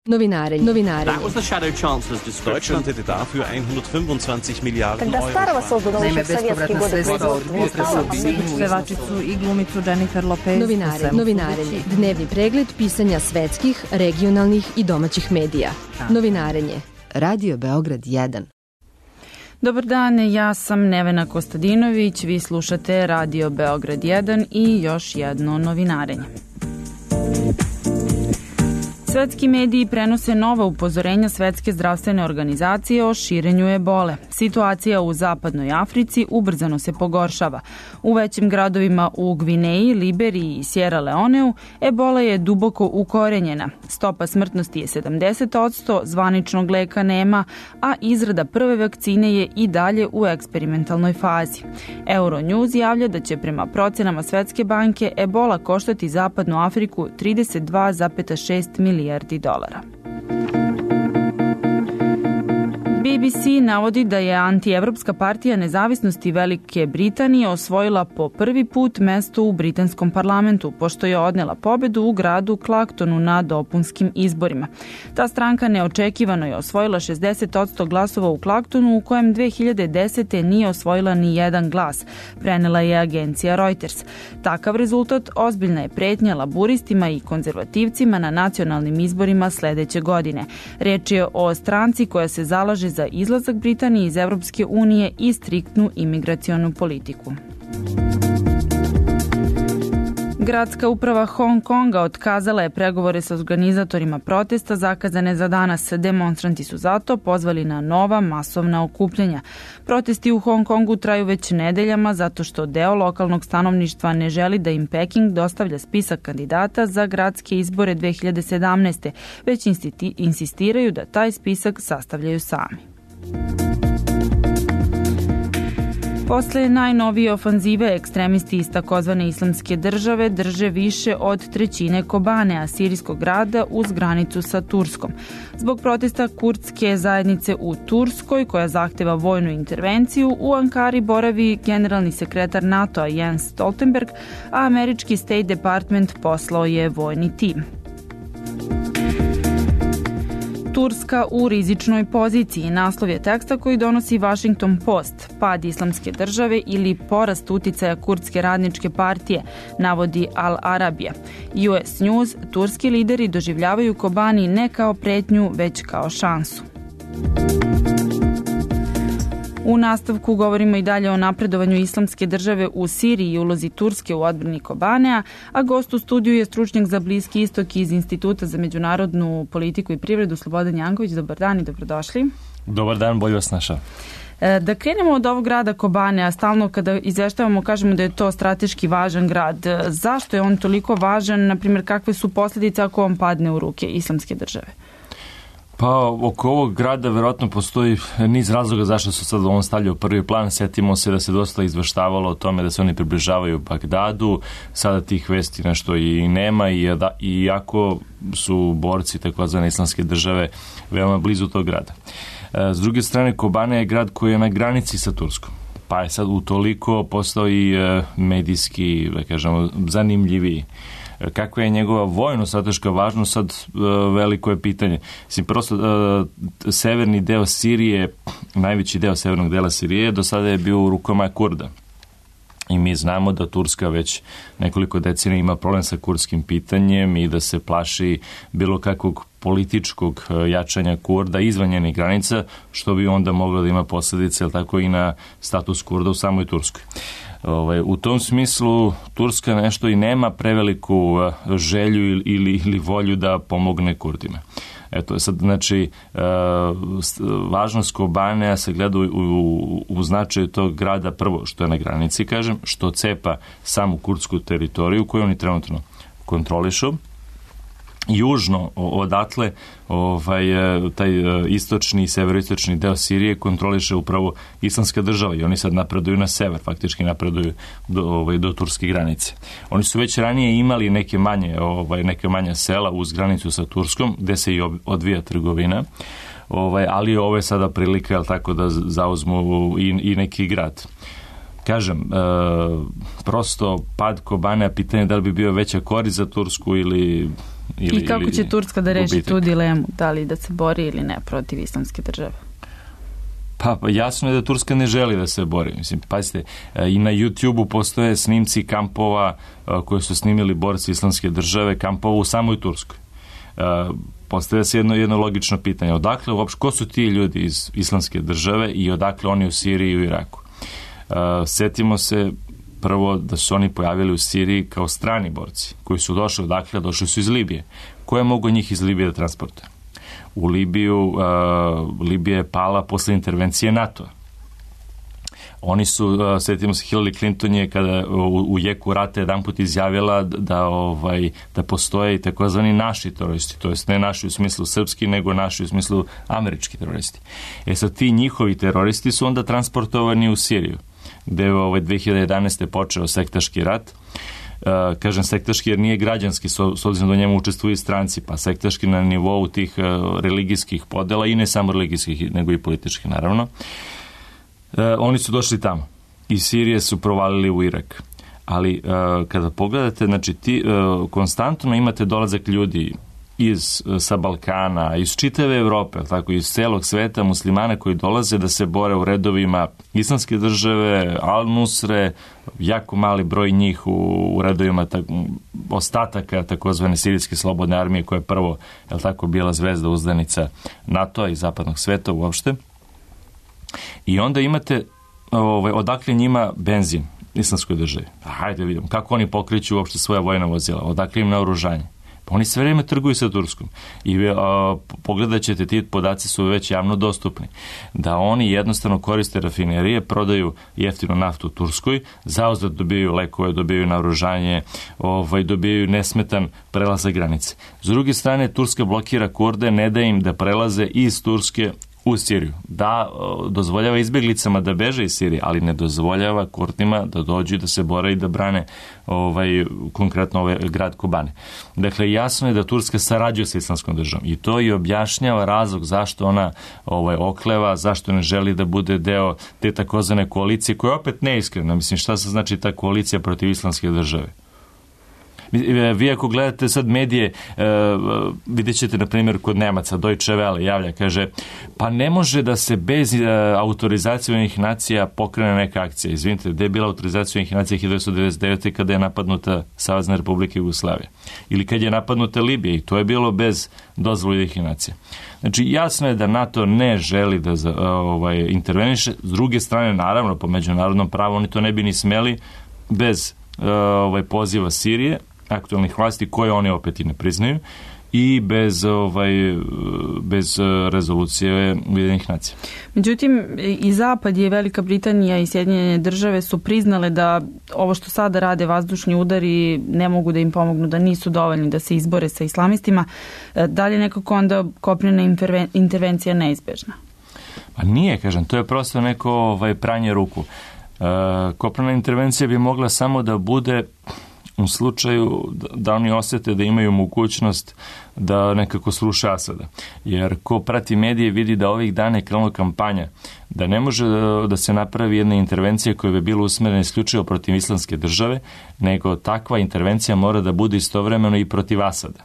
Novinarenje. That was the Shadow Chancellor's description. Deutschland hätte dafür 125 Milijarden Когда старого создан еще в советские годы Pevačicu i glumicu Jennifer Lopez. Novinarenje. Dnevni pregled pisanja svetskih, regionalnih i domaćih medija. Novinarenje. Radio Beograd 1. Dobar dan, ja sam Nevena Kostadinović, vi slušate Radio Beograd 1 i još jedno novinarenje. Svetski mediji prenose nova upozorenja Svetske zdravstvene organizacije o širenju ebole. Situacija u zapadnoj Africi ubrzano se pogoršava. U većim gradovima u Gvineji, Liberiji i Sierra Leoneu ebola je duboko ukorenjena. Stopa smrtnosti je 70%, zvaničnog leka nema, a izrada prve vakcine je i dalje u eksperimentalnoj fazi. Euronews javlja da će prema procenama Svetske banke ebola koštati zapadnu Afriku 32,6 milijardi dolara. BBC navodi da je antievropska partija nezavisnosti Velike Britanije osvojila po prvi put mesto u britanskom parlamentu, pošto je odnela pobedu u gradu Clactonu na dopunskim izborima. Ta stranka neočekivano je osvojila 60% glasova u Clactonu, u kojem 2010. nije osvojila ni jedan glas, prenela je agencija Reuters. Takav rezultat ozbiljna je pretnja laburistima i konzervativcima na nacionalnim izborima sledeće godine. Reč je o stranci koja se zalaže za izlazak Britanije iz Evropske unije i striktnu imigracionu politiku. Gradska uprava Hong Konga otkazala je pregovore sa organizatorima protesta zakazane za danas. Demonstranti su zato pozvali na nova masovna okupljanja. Protesti u Hong Kongu traju već nedeljama zato što deo lokalnog stanovništva ne želi da im Peking dostavlja spisak kandidata za gradske izbore 2017. već insistiraju da taj spisak sastavljaju sami. Posle najnovije ofanzive ekstremisti iz takozvane islamske države drže više od trećine Kobanea, sirijskog grada uz granicu sa Turskom. Zbog protesta kurdske zajednice u Turskoj, koja zahteva vojnu intervenciju, u Ankari boravi generalni sekretar NATO-a Jens Stoltenberg, a američki State Department poslao je vojni tim. Turska u rizičnoj poziciji. Naslov je teksta koji donosi Washington Post. Pad islamske države ili porast uticaja kurdske radničke partije, navodi Al Arabija. US News, turski lideri doživljavaju Kobani ne kao pretnju, već kao šansu. U nastavku govorimo i dalje o napredovanju islamske države u Siriji i ulozi Turske u odbrani Kobanea, a gost u studiju je stručnjak za Bliski istok iz Instituta za međunarodnu politiku i privredu Slobodan Janković. Dobar dan i dobrodošli. Dobar dan, bolje vas našao. Da krenemo od ovog grada Kobanea, stalno kada izveštavamo kažemo da je to strateški važan grad. Zašto je on toliko važan, na primjer kakve su posljedice ako on padne u ruke islamske države? Pa oko ovog grada verovatno postoji niz razloga zašto su sad on stavljao prvi plan. Sjetimo se da se dosta izveštavalo o tome da se oni približavaju Bagdadu. Sada tih vesti nešto i nema i iako su borci takozvane islamske države veoma blizu tog grada. S druge strane, Kobane je grad koji je na granici sa Turskom. Pa je sad utoliko postao i medijski, da kažemo, zanimljiviji. Kakva je njegova vojno-strateška važnost, sad veliko je pitanje. Prosto, severni deo Sirije, najveći deo severnog dela Sirije, do sada je bio u rukama Kurda. I mi znamo da Turska već nekoliko decenija ima problem sa kurdskim pitanjem i da se plaši bilo kakvog političkog jačanja Kurda izvan njenih granica, što bi onda moglo da ima posljedice, tako i na status Kurda u samoj Turskoj. U tom smislu Turska nešto i nema preveliku želju ili volju da pomogne Kurdima. Eto, sad, znači, važnost Kobanea se gleda u značaju tog grada, prvo što je na granici, kažem, što cepa samu kurdsku teritoriju koju oni trenutno kontrolišu. Južno odatle taj istočni i severoistočni deo Sirije kontroliše upravo islamska država i oni sad napreduju na sever, faktički napreduju do turske granice. Oni su već ranije imali neke manje sela uz granicu sa Turskom gde se i odvija trgovina, ali ovo je sada prilika tako da zauzmu i neki grad. Kažem, prosto pad Kobanea, pitanje da li bi bio veća korist za Tursku ili I kako će Turska da reši tu dilemu, da li da se bori ili ne protiv islamske države? Pa jasno je da Turska ne želi da se bori. Mislim, pazite, i na YouTube-u postoje snimci kampova koje su snimili borci islamske države, kampova u samoj Turskoj. Postavlja se jedno logično pitanje. Odakle uopšte, ko su ti ljudi iz islamske države i odakle oni u Siriji i u Iraku? Setimo se prvo da su oni pojavili u Siriji kao strani borci, koji su došli odakle, došli su iz Libije. Ko je mogao njih iz Libije da transportuje? U Libiju, Libija je pala posle intervencije NATO-a. Oni su, sjetimo se, Hillary Clinton je kada u jeku rata jedan put izjavila da postoje i takozvani naši teroristi, to jest ne naši u smislu srpski, nego naši u smislu američki teroristi. Sad ti njihovi teroristi su onda transportovani u Siriju, gde je 2011. počeo sektaški rat. Kažem sektaški jer nije građanski, s obzirom da u njemu učestvuju stranci, pa sektaški na nivou tih religijskih podela i ne samo religijskih, nego i političkih, naravno. Oni su došli tamo. Iz Sirije su provalili u Irak. Ali kada pogledate, znači konstantno imate dolazak ljudi sa Balkana, iz čitave Evrope, tako iz celog sveta, muslimana koji dolaze da se bore u redovima islamske države, Al-Nusre, jako mali broj njih u redovima ostataka takozvane sirijske slobodne armije, koja je prvo, bila zvezda uzdanica NATO-a i zapadnog sveta uopšte. I onda imate odakle njima benzin islamskoj državi. Hajde vidimo kako oni pokreću uopšte svoja vojna vozila, odakle im naoružanje. Pa oni sve vrijeme trguju sa Turskom. I pogledat ćete, ti podaci su već javno dostupni. Da oni jednostavno koriste rafinerije, prodaju jeftinu naftu u Turskoj, zauzvrat dobijaju lekove, dobijaju naoružanje, dobijaju nesmetan prelazak granice. S druge strane, Turska blokira Kurde, ne da im da prelaze iz Turske u Siriju. Da, dozvoljava izbjeglicama da beže iz Sirije, ali ne dozvoljava Kurdima da dođu i da se bore i da brane konkretno grad Kobane. Dakle, jasno je da Turska sarađuje sa islamskom državom i to i objašnjava razlog zašto ona okleva, zašto ne želi da bude deo te takozvane koalicije, koja je opet neiskrena. Mislim, šta se znači ta koalicija protiv islamske države? Vi ako gledate sad medije, vidjet ćete, na primjer, kod Nemaca, Deutsche Welle javlja, kaže, pa ne može da se bez autorizacije Ujedinjenih nacija pokrene neka akcija. Izvinite, gde je bila autorizacija Ujedinjenih nacija 1999. kada je napadnuta Savezna Republika Jugoslavija? Ili kad je napadnuta Libija, i to je bilo bez dozvole Ujedinjenih nacija. Znači, jasno je da NATO ne želi da interveniše. S druge strane, naravno, po međunarodnom pravu oni to ne bi ni smeli bez poziva Sirije, aktualnih vlasti, koje oni opet i ne priznaju, i bez rezolucije Ujedinjenih nacija. Međutim, i Zapad i Velika Britanija i Sjedinjene države su priznale da ovo što sada rade vazdušni udari ne mogu da im pomognu, da nisu dovoljni da se izbore sa islamistima. Da li je nekako onda kopnena intervencija neizbežna? Pa nije, kažem, to je prosto neko pranje ruku. Kopnena intervencija bi mogla samo da bude u slučaju da oni osjete da imaju mogućnost da nekako sruše Asada. Jer ko prati medije vidi da ovih dana je krenula kampanja, da ne može da se napravi jedna intervencija koja bi bila usmerena isključivo protiv islamske države, nego takva intervencija mora da bude istovremeno i protiv Asada.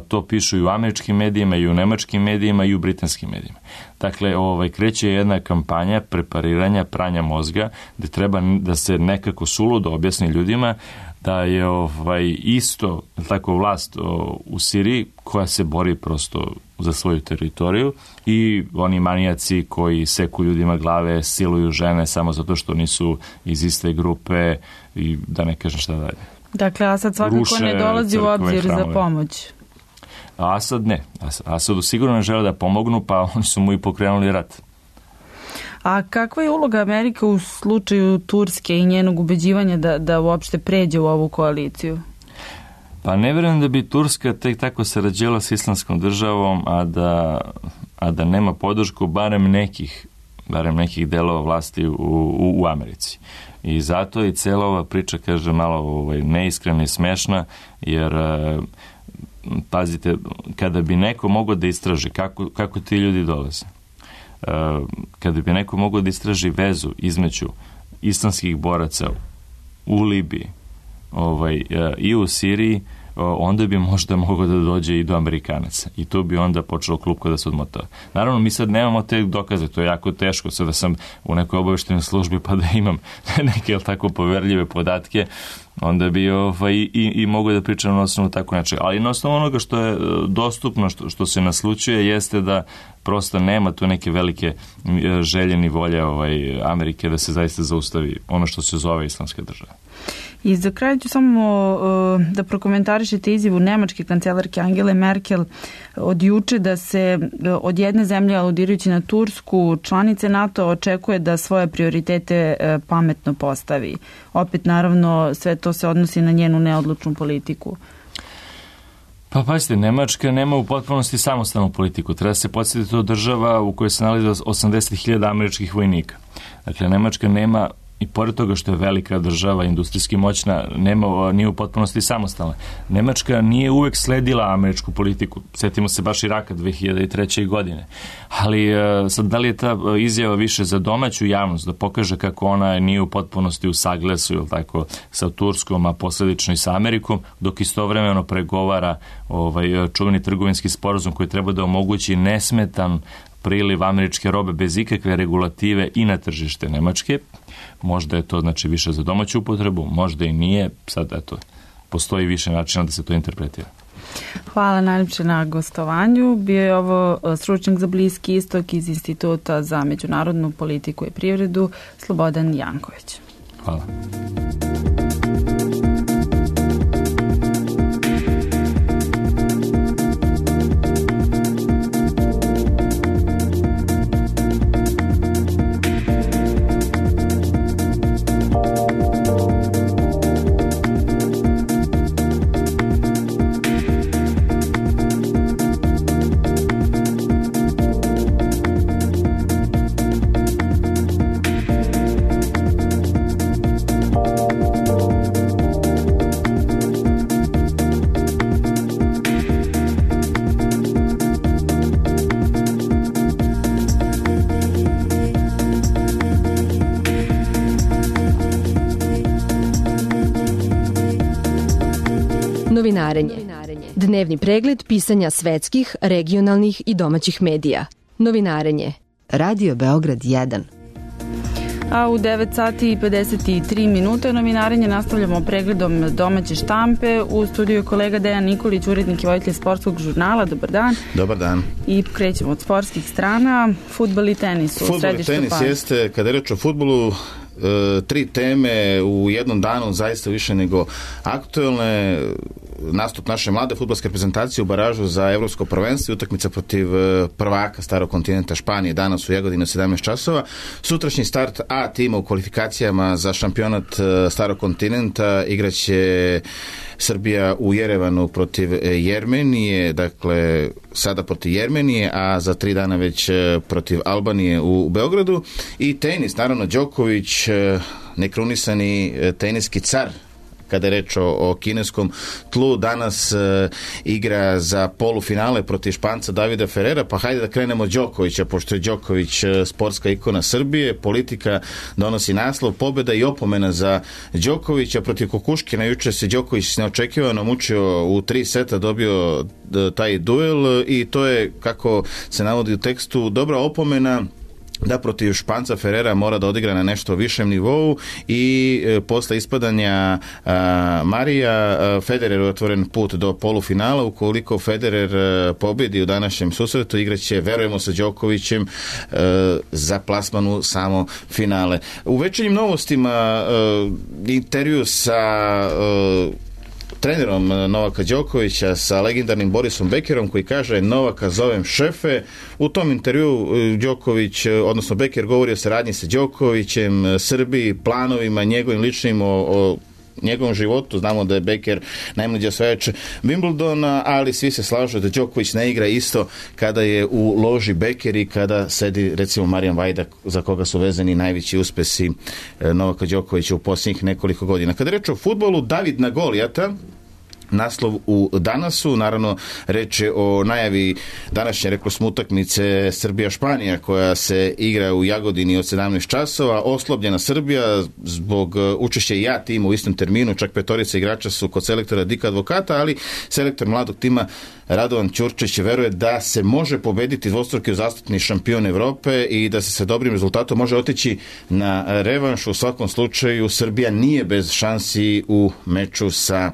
To pišu i u američkim medijima, i u nemačkim medijima, i u britanskim medijima. Dakle, kreće jedna kampanja prepariranja, pranja mozga, gde treba da se nekako suludo objasni ljudima da je isto tako vlast u Siriji koja se bori prosto za svoju teritoriju, i oni manijaci koji seku ljudima glave, siluju žene samo zato što nisu iz iste grupe, i da ne kažem šta dalje. Dakle, Asad svakako ne dolazi u obzir za pomoć. Asad ne. Asadu sigurno ne žele da pomognu, pa oni su mu i pokrenuli rat. A kakva je uloga Amerike u slučaju Turske i njenog ubeđivanja da uopšte pređe u ovu koaliciju? Pa ne vjerujem da bi Turska tek tako sarađivala s islamskom državom, a da nema podršku barem nekih delova vlasti u Americi. I zato i cijela ova priča, kaže, malo neiskrena i smešna, jer pazite, kada bi neko mogao da istraži kako ti ljudi dolaze, kada bi neko mogao da istraži vezu između islamskih boraca u Libiji i u Siriji, onda bi možda mogao da dođe i do Amerikanaca. I tu bi onda počelo klupko da se odmotava. Naravno, mi sad nemamo te dokaze, to je jako teško. Sada sam u nekoj obaveštenoj službi pa da imam neke tako poverljive podatke, onda bi i mogu da pričam na osnovu tako nečega. Ali na osnovu onoga što je dostupno, što se naslučuje, jeste da prosto nema tu neke velike želje ni volje Amerike da se zaista zaustavi ono što se zove islamska država. I za kraj ću samo da prokomentarišete izjavu nemačke kancelarke Angele Merkel od juče da se od jedne zemlje, aludirajući na Tursku, članice NATO očekuje da svoje prioritete pametno postavi. Opet, naravno, sve to se odnosi na njenu neodlučnu politiku. Pa pazite, Nemačka nema u potpunosti samostalnu politiku. Treba se podsjetiti to država u kojoj se nalazi 80.000 američkih vojnika. Dakle, Nemačka nema, i pored toga što je velika država, industrijski moćna, nije u potpunosti samostalna. Nemačka nije uvek sledila američku politiku. Sjetimo se baš Iraka 2003. godine. Ali sad, da li je ta izjava više za domaću javnost, da pokaže kako ona nije u potpunosti u saglasu, ili tako, sa Turskom, a posledično i sa Amerikom, dok istovremeno pregovara čuveni trgovinski sporazum koji treba da omogući nesmetan priliv američke robe bez ikakve regulative i na tržište Nemačke. Možda je to znači više za domaću upotrebu, možda i nije. Sad, eto, postoji više načina da se to interpretira. Hvala najljepše na gostovanju. Bio je ovo stručnjak za Bliski istok iz Instituta za međunarodnu politiku i privredu Slobodan Janković. Hvala. Novinarenje. Dnevni pregled pisanja svetskih, regionalnih i domaćih medija. Novinarenje. Radio Beograd 1. A u 9 sati i 53 minute novinarenje nastavljamo pregledom domaće štampe. U studiju je kolega Dejan Nikolić, urednik i voditelj sportskog žurnala. Dobar dan. Dobar dan. I krećemo od sportskih strana. Fudbal i tenis. Fudbal i tenis jeste, kada je reč o fudbalu, 3 teme u jednom danu zaista više nego aktuelne. Nastup naše mlade fudbalske reprezentacije u baražu za evropsko prvenstvo i utakmica protiv prvaka starog kontinenta Španije danas u Jagodini u 17 časova. Sutrašnji start A tima u kvalifikacijama za šampionat starog kontinenta igraće Srbija u Jerevanu protiv Jermenije, dakle sada protiv Jermenije, a za 3 dana već protiv Albanije u Beogradu. I tenis, naravno Đoković, nekrunisani teniski car, kada je reč o kineskom tlu, danas igra za polufinale protiv Španca Davida Ferrera, pa hajde da krenemo od Đokovića, pošto je Đoković sportska ikona Srbije, politika donosi naslov, pobjeda i opomena za Đokovića protiv Kukuškina. Juče se Đoković neočekivano mučio u 3 seta, dobio taj duel i to je, kako se navodi u tekstu, dobra opomena da protiv Španca Ferrera mora da odigra na nešto višem nivou i posle ispadanja Marija Federer je otvoren put do polufinala. Ukoliko Federer pobedi u današnjem susretu, igraće, verujemo, sa Đokovićem za plasman u samo finale. U večernjim novostima intervju sa trenerom Novaka Đokovića, sa legendarnim Borisom Bekerom, koji kaže: Novaka zovem šefe. U tom intervju Đoković, odnosno Beker, govori o saradnji sa Đokovićem, Srbiji, planovima njegovim ličnim, o njegovom životu. Znamo da je Beker najmlađi osvajač Wimbledona, ali svi se slažu da Đoković ne igra isto kada je u loži Beker i kada sedi, recimo, Marijan Vajda, za koga su vezani najveći uspesi Novaka Đokovića u posljednjih nekoliko godina. Kada je reč o fudbalu, David na Golijata, naslov u Danasu. Naravno, reč je o najavi današnje, rekli smo, utakmice Srbija-Španija koja se igra u Jagodini od 17 časova. Oslobljena Srbija zbog učešća i A tima u istom terminu, čak 5 igrača su kod selektora Dika Advokata, ali selektor mladog tima Radovan Ćurčić veruje da se može pobediti dvostruki uzastopni šampion Evrope i da se sa dobrim rezultatom može otići na revanš. U svakom slučaju Srbija nije bez šansi u meču sa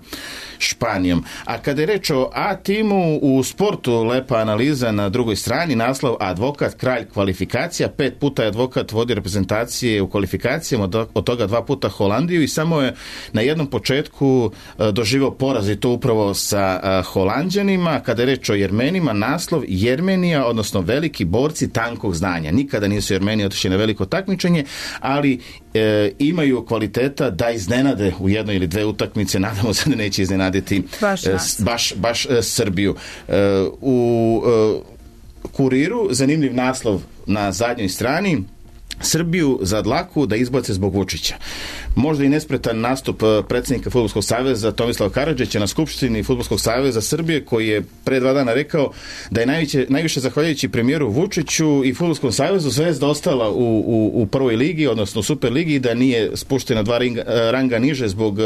Španijom. A kada je reč o A timu u sportu, lepa analiza na drugoj strani, naslov Advokat, kralj kvalifikacija. 5 puta je Advokat vodi reprezentacije u kvalifikacijama, od toga 2 puta Holandiju i samo je na jednom početku doživao poraz i to upravo sa Holanđanima. Kada je reč o Jermenima, naslov Jermenija, odnosno veliki borci tankog znanja. Nikada nisu Jermeni otišli na veliko takmičenje, ali imaju kvaliteta da iznenade u jednoj ili dve utakmice. Nadamo se da neće iznenaditi baš Srbiju. U Kuriru zanimljiv naslov na zadnjoj strani: Srbiju za dlaku da izbace zbog Vučića. Možda i nespretan nastup predsjednika Fudbalskog saveza Tomislava Karadžića na skupštini Fudbalskog saveza Srbije, koji je pre 2 dana rekao da je najviše zahvaljujući premijeru Vučiću i Fudbalskom savezu Zvezda ostala u prvoj ligi, odnosno u Super ligi, da nije spuštena 2 ranga niže zbog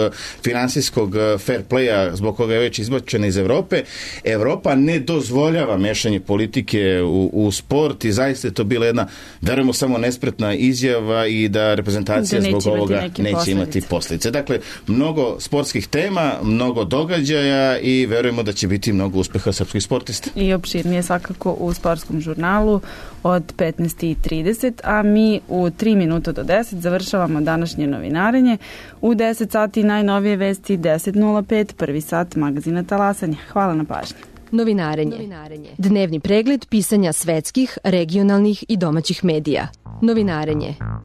finansijskog fair playa, zbog koga je već izbačena iz Evrope. Evropa ne dozvoljava mešanje politike u sport i zaista je to bila jedna, verujemo, samo nespretna izjava i da reprezentacija zbog ovoga neće imati posljedice. Dakle, mnogo sportskih tema, mnogo događaja i verujemo da će biti mnogo uspeha srpskih sportista. I opširnije svakako u sportskom žurnalu od 15:30, a mi u 3 minuta do 10 završavamo današnje novinarenje. U 10 sati najnovije vesti, 10:05, prvi sat magazina Talasanje. Hvala na pažnji. Novinarenje. Dnevni pregled pisanja svetskih, regionalnih i domaćih medija. Novinarenje.